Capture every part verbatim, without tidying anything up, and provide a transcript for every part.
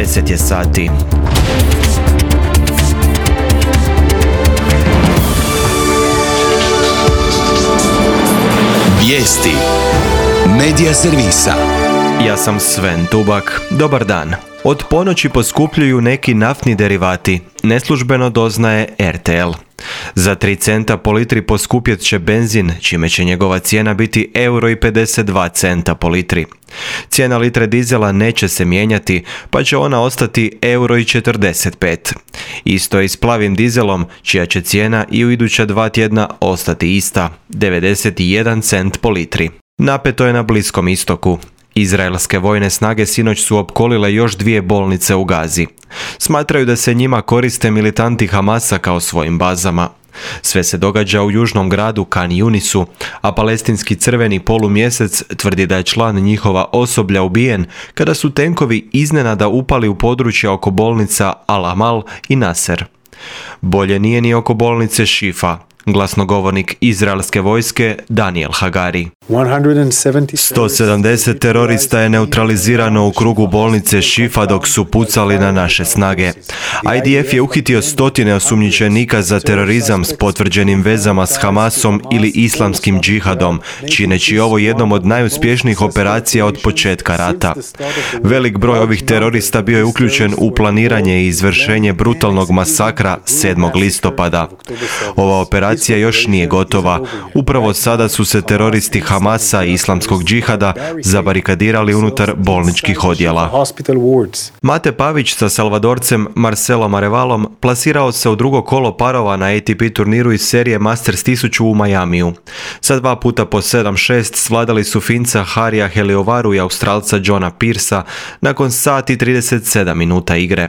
deset je sati. Vijesti Medija servisa. Ja sam Sven Tubak. Dobar dan. Od ponoći poskupljuju neki naftni derivati. Neslužbeno doznaje er te el. Za tri centa po litri poskupjet će benzin, čime će njegova cijena biti euro i pedeset dva centa po litri. Cijena litre dizela neće se mijenjati, pa će ona ostati euro i četrdeset pet. Isto je i s plavim dizelom, čija će cijena i u iduća dva tjedna ostati ista, devedeset jedan cent po litri. Napeto je na Bliskom istoku. Izraelske vojne snage sinoć su opkolile još dvije bolnice u Gazi. Smatraju da se njima koriste militanti Hamasa kao svojim bazama. Sve se događa u južnom gradu Kan Yunisu, a palestinski crveni polumjesec tvrdi da je član njihova osoblja ubijen kada su tenkovi iznenada upali u područja oko bolnica Al-Amal i Nasser. Bolje nije ni oko bolnice Šifa. Glasnogovornik izraelske vojske Daniel Hagari. sto sedamdeset terorista je neutralizirano u krugu bolnice Šifa dok su pucali na naše snage. i de ef je uhitio stotine osumnjičenika za terorizam s potvrđenim vezama s Hamasom ili islamskim džihadom, čineći ovo jednom od najuspješnijih operacija od početka rata. Velik broj ovih terorista bio je uključen u planiranje i izvršenje brutalnog masakra sedmog listopada. Ova operacija još nije gotova. Upravo sada su se teroristi Hamasa i islamskog džihada zabarikadirali unutar bolničkih odjela. Mate Pavić sa Salvadorcem Marcelom Arevalom plasirao se u drugo kolo parova na a te pe turniru iz serije Masters tisuću u Majamiju. Sa dva puta po sedam šest svladali su Finca Harija Heliovaru i Australca Johna Pearsa nakon sat i trideset sedam minuta igre.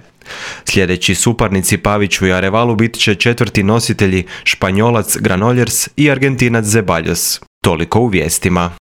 Sljedeći suparnici Paviću i Arevalu bit će četvrti nositelji Španjolac Granollers i Argentinac Zeballos. Toliko u vijestima.